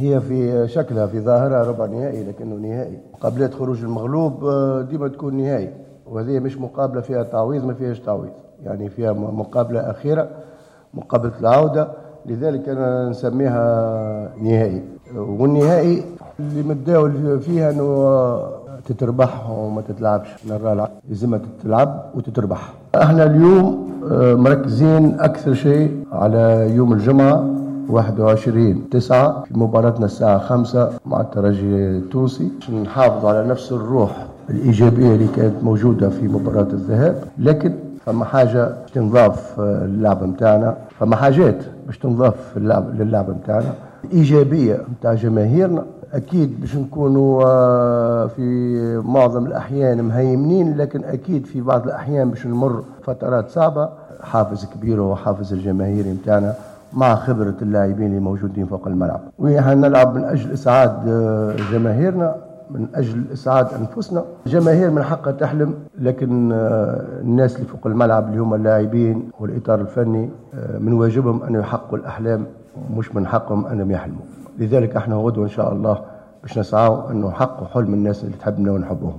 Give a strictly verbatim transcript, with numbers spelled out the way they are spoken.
هي في شكلها في ظاهرها ربع نهائي لكنه نهائي. مقابلات خروج المغلوب ديما تكون نهائي، وهذه مش مقابلة فيها تعويض، ما فيهاش تعويض، يعني فيها مقابلة أخيرة، مقابلة العودة، لذلك أنا نسميها نهائي. والنهائي اللي متداول فيها أنه تتربح وما تتلعبش، نرى لازم تتلعب وتتربح. احنا اليوم مركزين أكثر شيء على يوم الجمعة واحد وعشرين تسعة في مباراتنا الساعة خمسة مع الترجي التونسي، نحافظ على نفس الروح الإيجابية اللي كانت موجودة في مباراة الذهاب. لكن فما حاجة تنضاف للعب متاعنا، فما حاجات باش تنضاف للعب متاعنا، الإيجابية متاع جماهيرنا. أكيد باش نكونوا في معظم الأحيان مهيمنين، لكن أكيد في بعض الأحيان باش نمر فترات صعبة. حافز كبير هو حافز الجماهير متاعنا مع خبرة اللاعبين اللي موجودين فوق الملعب. ونحن نلعب من أجل إسعاد جماهيرنا، من أجل إسعاد أنفسنا. الجماهير من حقها تحلم، لكن الناس اللي فوق الملعب اللي هم اللاعبين والإطار الفني من واجبهم أن يحققوا الأحلام، مش من حقهم أنهم يحلموا. لذلك احنا غدوة إن شاء الله باش نسعوا أنه نحققوا حلم الناس اللي تحبنا ونحبهم.